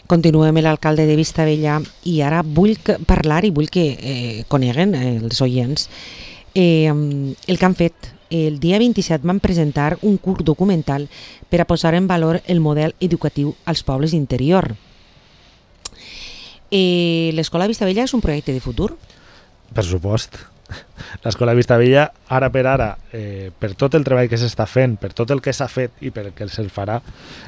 Continuem amb l'alcalde de Vistabella i ara vull parlar i vull que coneguen els oients el que han fet. El dia 27 van presentar un curt documental per a posar en valor el model educatiu als pobles d'interior. L'Escola Vistabella és un projecte de futur? Per supost. L'Escola Vistabella, ara per ara, per tot el treball que s'està fent, per tot el que s'ha fet i per el que se'l farà,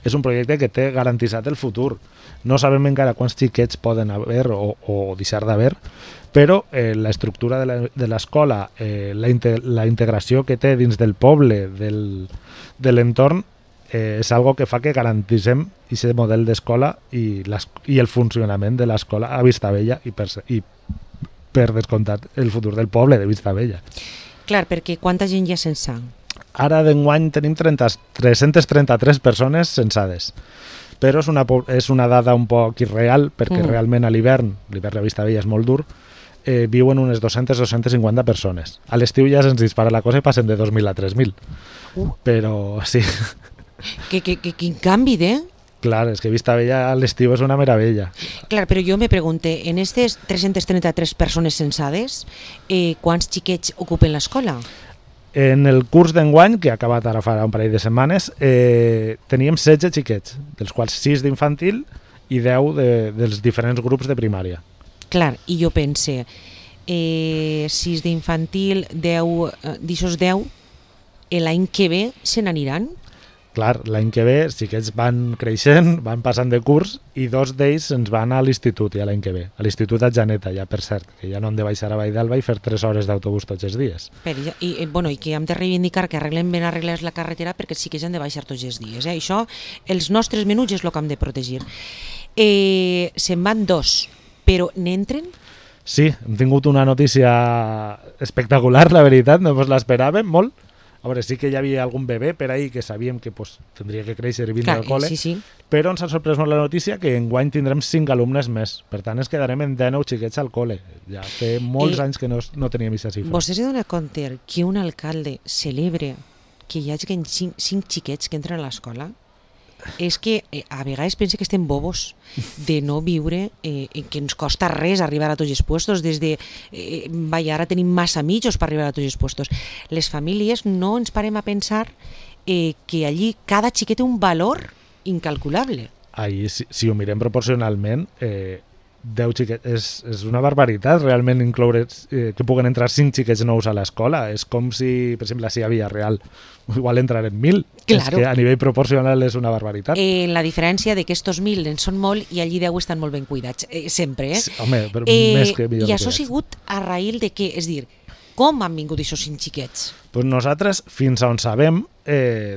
és un projecte que té garantitzat el futur. No sabem encara quants xiquets poden haver o deixar d'haver, però l'estructura de l'escola, la integració que té dins del poble, de l'entorn, és algo que fa que garantissem aquest model d'escola i el funcionament de l'escola a Vistabella i per descomptat el futur del poble de Vistabella. Clar, perquè quanta gent hi ha sense? Ara d'enguany tenim 333 persones censades, però és una dada un poc irreal perquè realment a l'hivern a Vistabella és molt dur, viuen unes 200-250 persones. A l'estiu ja se'ns dispara la cosa i passen de 2.000 a 3.000. Però sí. Quin canvi, Clar, és que Vistabella a l'estiu és una meravella. Clar, però jo me pregunte, en aquestes 333 persones censades, quants xiquets ocupen l'escola? En el curs d'enguany, que ha acabat ara fa un parell de setmanes, teníem 16 xiquets, dels quals 6 d'infantil i 10 dels diferents grups de primària. Clar, i jo pense, 6 d'infantil, 10, d'aixòs 10, l'any que ve se n'aniran? Clar, l'any que ve els xiquets van creixent, van passant de curs i 2 d'ells ens van a l'institut ja l'any que ve. A l'institut a Janeta, ja per cert, que ja no hem de baixar a Valldarba i fer 3 hores d'autobús tots els dies. I que hem de reivindicar que arreglen ben arreglats la carretera perquè sí que han de baixar tots els dies. Això, els nostres menuts és el que hem de protegir. Se'n van 2, però n'entren? Sí, hem tingut una notícia espectacular, la veritat, no ens l'esperàvem molt. A veure, sí que hi havia algun bebè per ahir que sabíem que tindria que créixer i vindre al col·le, però ens ha sorprès molt la notícia que enguany tindrem 5 alumnes més. Per tant, ens quedarem en 19 xiquets al col·le. Ja fa molts anys que no teníem aquesta xifra. Vostè se dona compte que un alcalde celebra que hi hagi 5 xiquets que entren a l'escola? És que a vegades penso que estem bobos de no viure, que ens costa res arribar a tots els puestos, ara tenim massa mitjos per arribar a tots els puestos. Les famílies no ens parem a pensar que allí cada xiquet té un valor incalculable. Ahí, si ho mirem proporcionalment, 10 xiquets és una barbaritat realment incloure que puguen entrar 5 xiquets nous a l'escola. És com si, per exemple, a Villarreal igual entraren 1.000. Claro. És que a nivell proporcional és una barbaritat. La diferència de que estos 1.000 en són molt i allí 10 estan molt ben cuidats, sempre. Sí, home, però més que millor. I això ha sigut a raïl de què? És dir, com han vingut aquests 5 xiquets? Pues nosaltres, fins on sabem,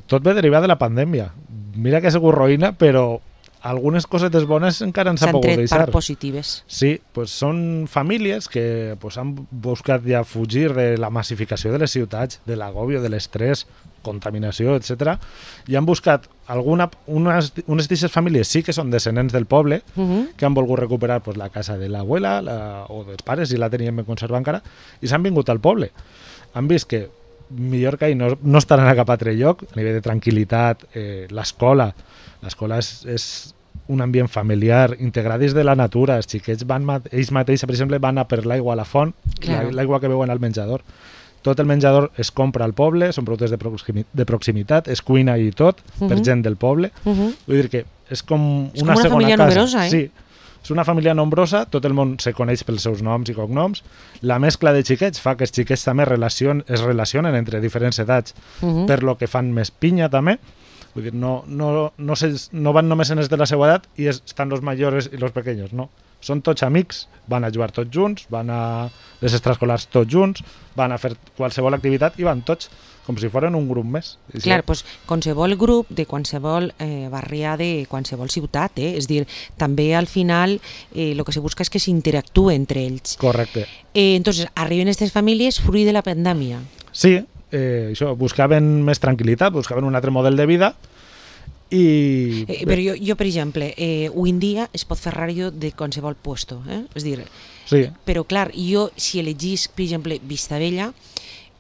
tot ve derivat de la pandèmia. Mira que ha sigut roïna, però algunes cosetes bones encara ens ha pogut deixar. S'han tret part positives. Sí, pues són famílies que han buscat ja fugir de la massificació de les ciutats, de l'agòbio, de l'estrès, contaminació, etc. I han buscat unes d'aquestes famílies sí que són descendents del poble, que han volgut recuperar la casa de l'abuela o dels pares, si la teníem ben conservar encara, i s'han vingut al poble. Han vist que millor que ahir no estaran a cap altre lloc, a nivell de tranquil·litat, l'escola és un ambient familiar, integrat dins de la natura. Els xiquets ells mateixos, per exemple, van a per l'aigua a la font, l'aigua que beuen al menjador. Tot el menjador es compra al poble, són productes de proximitat, es cuina i tot, per gent del poble. Vull dir que és com una segona família casa. Numerosa, Sí, és una família nombrosa, tot el món se coneix pels seus noms i cognoms. La mescla de xiquets fa que els xiquets també es relacionen entre diferents edats, per lo que fan més pinya també. Vull dir, no van només en els de la seva edat i estan els majors i els pequeños, no. Són tots amics, van a jugar tots junts, van a les extraescolars tots junts, van a fer qualsevol activitat i van tots com si foren un grup més. Clar, doncs qualsevol grup de qualsevol barrià de qualsevol ciutat, és dir, també al final el que se busca és que s'interactue entre ells. Correcte. Entonces, arriben aquestes famílies fruit de la pandèmia. Sí, això, buscaven més tranquil·litat, buscaven un altre model de vida i... Però jo, per exemple, avui en dia es pot fer ràdio de qualsevol puesto, és dir, sí. Però clar, jo si elegís, per exemple, Vistabella,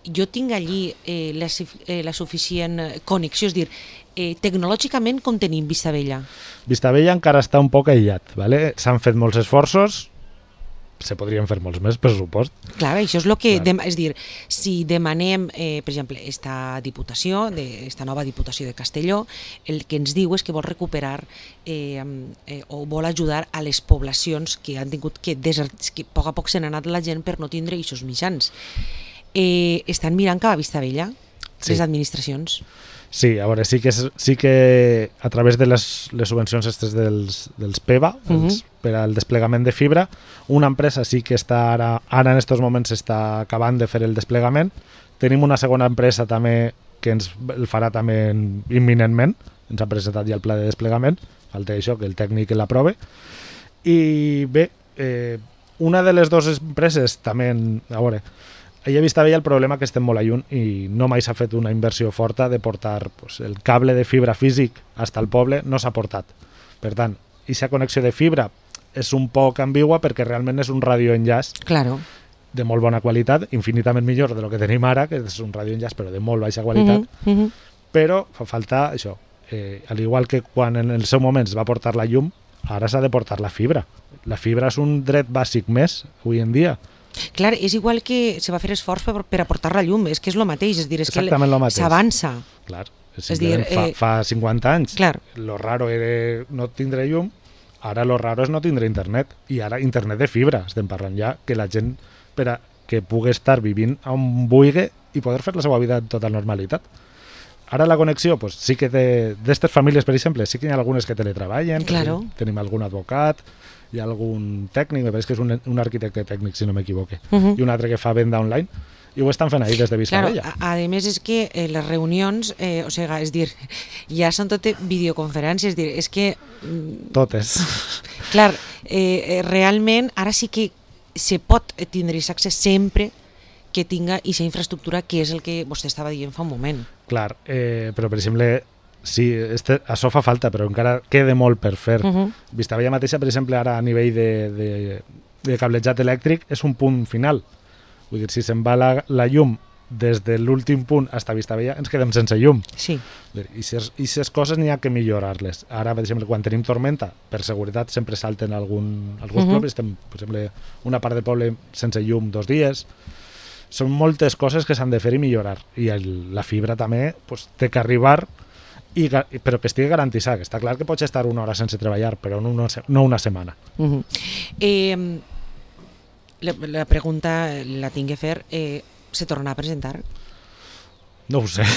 jo tinc allí la suficient connexió, és dir, Tecnològicament, com tenim Vistabella? Vistabella encara està un poc aïllat, ¿vale? S'han fet molts esforços, se podrien fer molts més, per supost. Clar, això és el que... És dir, si demanem, per exemple, esta diputació, esta nova diputació de Castelló, el que ens diu és que vol recuperar o vol ajudar a les poblacions que han tingut que a poc se n'ha anat la gent per no tindre aquests mitjans. Estan mirant cap a Vistabella, les administracions? Sí, a veure, sí que a través de les subvencions dels PEVA, per al desplegament de fibra, una empresa sí que està ara en aquests moments està acabant de fer el desplegament. Tenim una segona empresa també que ens el farà també imminentment, ens ha presentat ja el pla de desplegament, falta això, que el tècnic l'aprove. I bé, una de les dues empreses també, a veure, ella vista bé el problema que estem molt lluny i no mai s'ha fet una inversió forta de portar el cable de fibra físic fins al poble, no s'ha portat. Per tant, aquesta connexió de fibra és un poc ambigua perquè realment és un radioenllaç de molt bona qualitat, infinitament millor de lo que tenim ara, que és un radioenllaç però de molt baixa qualitat, però fa falta això. Al igual que quan en el seu moment es va portar la llum, ara s'ha de portar la fibra. La fibra és un dret bàsic més avui en dia. Clar, és igual que se va fer esforç per aportar la llum, és que és el mateix, és dir, és que s'avança. Clar, és dir, fa 50 anys lo raro era no tindre llum, ara lo raro és no tindre internet, i ara internet de fibra, estem parlant ja, que la gent per a que pugui estar vivint on vulgui i poder fer la seva vida en tota normalitat. Ara la connexió, pues, sí que d'estes famílies, per exemple, sí que hi ha algunes que teletreballen, tenim algun advocat, hi ha algun tècnic, me pareix que és un arquitecte tècnic, si no m'equivoque, i un altre que fa venda online, i ho estan fent ahir des de Vistabella. Claro, a més és que les reunions, o sigui, és dir, ja són totes videoconferències, és dir, és que... Totes. Clar, realment ara sí que se pot tindre accés sempre que tinga aquesta infraestructura, que és el que vostè estava dient fa un moment. Clar, però per exemple... Sí, això fa falta, però encara queda molt per fer. Vistabella mateixa, per exemple, ara a nivell de cablejat elèctric és un punt final. Vull dir, si se'n va la llum des de l'últim punt fins a Vistabella, ens quedem sense llum. Sí. I aquestes coses n'hi ha que millorar-les. Ara, per exemple, quan tenim tormenta, per seguretat sempre salten alguns pobles. Estem, per exemple, una part del poble sense llum 2 dies. Són moltes coses que s'han de fer i millorar. I la fibra també té que arribar, però que estigui garantitzat, que està clar que pots estar una hora sense treballar, però no una setmana. La pregunta la tinc que fer, se tornarà a presentar? No ho sé.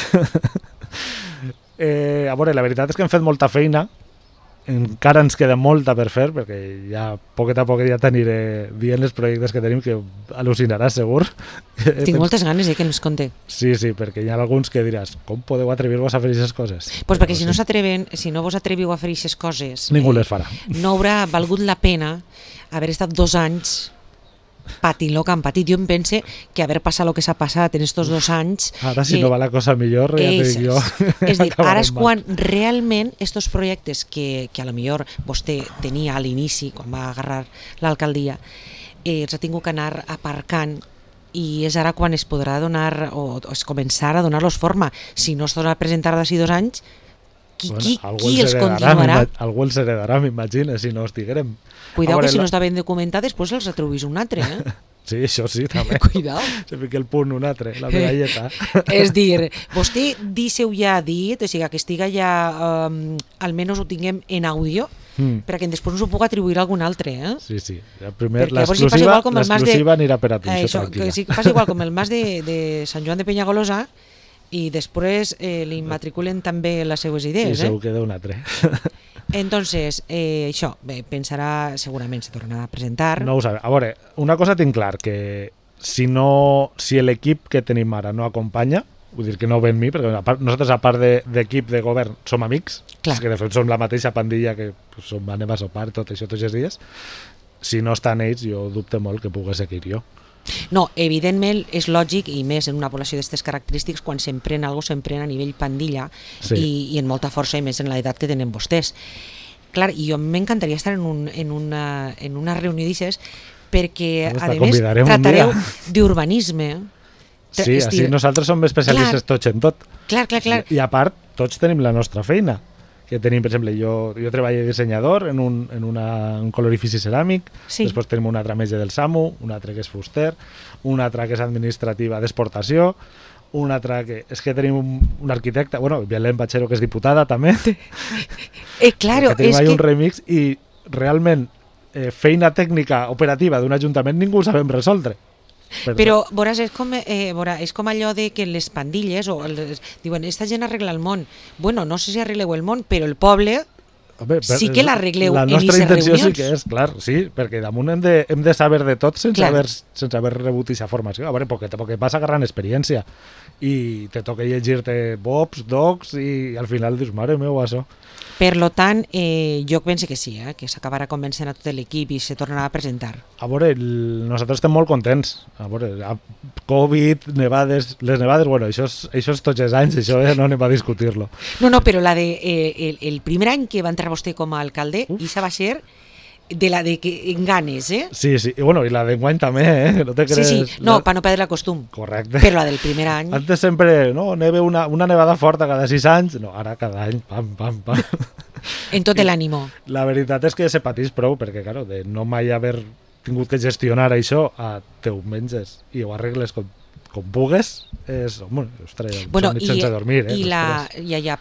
A veure, la veritat és que hem fet molta feina, encara ens queda molta per fer, perquè ja poquet a poquet ja t'aniré dient els projectes que tenim, que al·lucinaràs segur. Tinc moltes ganes que ens conté. Sí, perquè hi ha alguns que diràs, com podeu atrevir-vos a fer aquestes coses? Pues perquè si no s'atreven, si no vos atreviu a fer aquestes coses, ningú les farà. No haurà valgut la pena haver estat 2 anys patint el que han patit. Jo em pense que haver passat el que s'ha passat en estos 2 anys... Ara, si no va la cosa millor, ja t'ho dic jo. És dir, ara és quan realment estos projectes que a lo millor vostè tenia a l'inici, quan va agarrar l'alcaldia, els ha tingut que anar aparcant, i és ara quan es podrà donar, o es començar a donar-los forma. Si no es torna a presentar d'ací 2 anys, qui els continuarà? Algú els heredarà, m'imagina, si no els diguem. Cuidao que si no està ben documentat, després els atribuís un altre, Sí, això sí, també. Cuidao. Se fica el punt un altre, la medalleta. És dir, vostè díseu ja dit, o sigui, que estiga ja, almenys ho tinguem en àudio, perquè després no s'ho puc atribuir a algun altre, Sí. Primer, l'exclusiva anirà per a tu, això, tranquil·la. Que passa igual com el mas de Sant Joan de Penyagolosa, i després li matriculen també les seues idees. I segur queda un altre. Entonces, això, pensarà, segurament se tornarà a presentar. No ho sabem. A veure, una cosa tinc clar, que si l'equip que tenim ara no acompanya, vull dir que no ven mi, perquè nosaltres a part d'equip de govern som amics, que de fet som la mateixa pandilla que anem a sopar tot això tots els dies, si no estan ells jo dubte molt que pugui seguir jo. No, evidentment és lògic, i més en una població d'aquestes característiques, quan s'emprèn alguna cosa s'emprèn a nivell pandilla, i en molta força, i més en l'edat que tenen vostès. Clar, i jo m'encantaria estar en una reunió d'aixes, perquè a més tratareu d'urbanisme. Sí, així nosaltres som especialistes tots en tot. Clar. I a part tots tenim la nostra feina, que tenim, per exemple, jo treballo de dissenyador en un colorifici ceràmic, Sí. després tenim una altra metge del SAMU, una altra que és fuster, una altra que és administrativa d'exportació, una altra que... És que tenim un arquitecte, bueno, Belén Bachero, que és diputada també, Claro, que tenim és ahí que... un remix i realment feina tècnica operativa d'un ajuntament ningú ho sabem resoldre. Però veuràs, és com allò de que les pandilles diuen, esta gent arregla el món. Bueno, no sé si arregleu el món, però el poble Home, sí que l'arregleu la en nostra aquestes intenció reunions. sí que és, clar, sí, perquè damunt hem de saber de tot sense Clar. haver rebut aquesta formació. A veure, perquè vas agarrant experiència i te toca llegir-te Bobs, Docs i al final dius, mare meu, això. Per lo tant, jo penso que sí, que s'acabarà convencent a tot l'equip i se tornarà a presentar. A veure, nosaltres estem molt contents. A veure, Covid, nevades... Les nevades, bueno, això és tots els anys, això no anem a discutir-lo. No, però la de el primer any que va entrar vostè com a alcalde, això va ser de la de que en ganes, Sí, i bueno, i la d'enguany també, no te crees... Sí, no, per no perdre el costum. Correcte. Però la del primer any... Antes sempre, no, neve una nevada forta cada 6 anys, no, ara cada any, pam, pam, pam. En tot l'ànimo. La veritat és que se patís prou, perquè, claro, de no mai haver tingut que gestionar això, te ho menges i ho arregles com pugues, és, home, ostres, Bueno, nit sense dormir,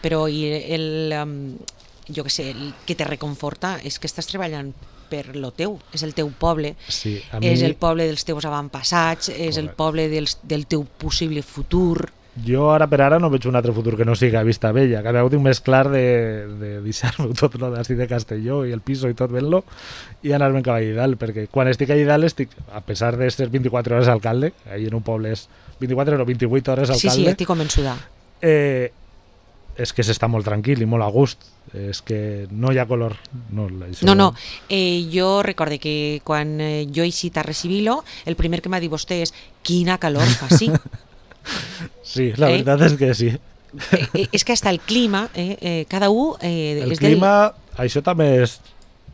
però jo que sé, el que te reconforta és que estàs treballant per lo teu, és el teu poble, sí, és el poble dels teus avantpassats, és el poble del teu possible futur. Jo ara per ara no veig un altre futur que no siga Vista Vella. Cada vegada tinc més clar de deixar-me tot lo d'ací de Castelló i el piso i tot ben-lo i anar-me'n cap allà dalt, perquè quan estic allà dalt estic, a pesar de ser 24 hores alcalde, ahí en un poble és 24 o 28 hores alcalde. Sí, estic convençuda. És que s'està molt tranquil i molt a gust. És que no hi ha color. No. Jo recorde que quan jo he eixit a recibir-lo, el primer que m'ha dit vostè és quina calor fa, sí. Sí, la veritat és que sí. És que hasta el clima, cada un... El clima, això també és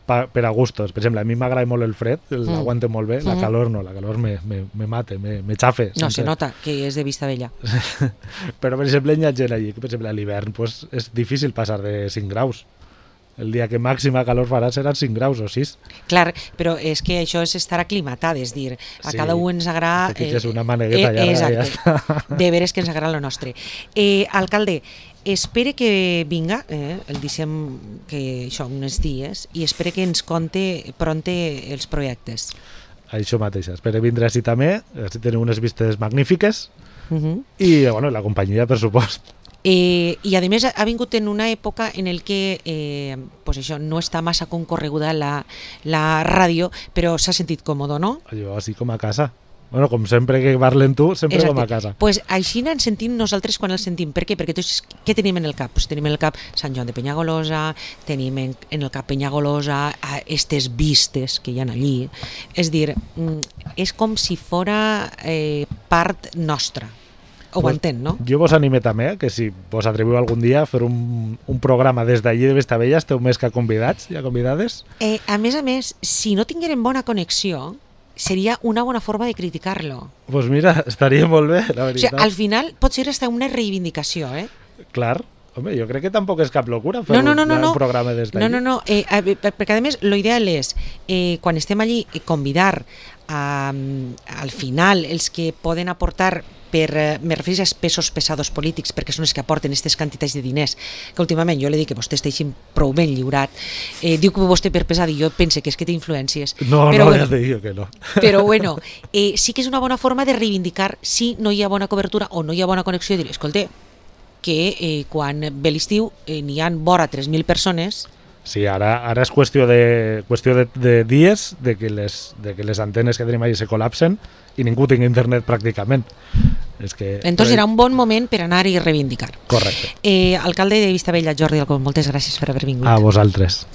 per a gustos. Per exemple, a mi m'agrada molt el fred, l'aguante molt bé, la calor no, la calor me mate, me xafe. No, se nota que és de Vista Vella. Però, per exemple, hi ha gent allí que, per exemple, a l'hivern pues, és difícil passar de 5 graus. El dia que màxima calor farà seran 5 graus o 6. Clar, però és que això és estar aclimatat, és dir, a cada un ens agrada... Te fiques una manegueta allà i ja està. De veres que ens agrada lo nostre. Alcalde, espere que vinga, el deixem que això uns dies, i espere que ens conte pronte els projectes. Això mateix, espere vindre així també, així tenim unes vistes magnífiques, i bueno, la companyia, per supost. I a més ha vingut en una època en el que pues això, no està massa concorreguda la ràdio, però s'ha sentit còmode, no? Jo així com a casa. Bueno, com sempre que parlen tu, sempre com a casa. Pues així ens sentim nosaltres quan el sentim. Per què? Perquè tots, què tenim en el cap? Pues tenim en el cap Sant Joan de Penyagolosa, tenim en el cap Penyagolosa, estes vistes que hi ha allí. És dir, és com si fora part nostra. Ho entén, no? Jo vos anime també que si vos atreviu algun dia a fer un programa des d'allí de Vestavella, esteu més que convidats i convidades. A més, si no tinguérem bona connexió, seria una bona forma de criticar-lo. Pues mira, estaria molt bé, la veritat. O sigui, al final pot ser hasta una reivindicació, Clar, home, jo crec que tampoc és cap locura fer un programa des d'allí. No, perquè a més, l'ideal és, quan estem allí, convidar al final els que poden aportar me refereixo als pesos pesados polítics, perquè són els que aporten aquestes quantitats de diners, que últimament jo li dic que vostè està així prou ben lliurat, diu que vostè per pesat i jo pense que és que té influències, no, ja te dic que no, però bueno, sí que és una bona forma de reivindicar si no hi ha bona cobertura o no hi ha bona connexió, i dir, escolta, que quan ve l'estiu n'hi ha vora 3.000 persones. Sí, ara és qüestió de dies de que les antenes que tenim allà se col·lapsen i ningú tingui internet pràcticament. Entonces era un bon moment per anar i reivindicar. Correcte. Alcalde de Vistabella, Jordi Alcón, moltes gràcies per haver vingut. A vosaltres.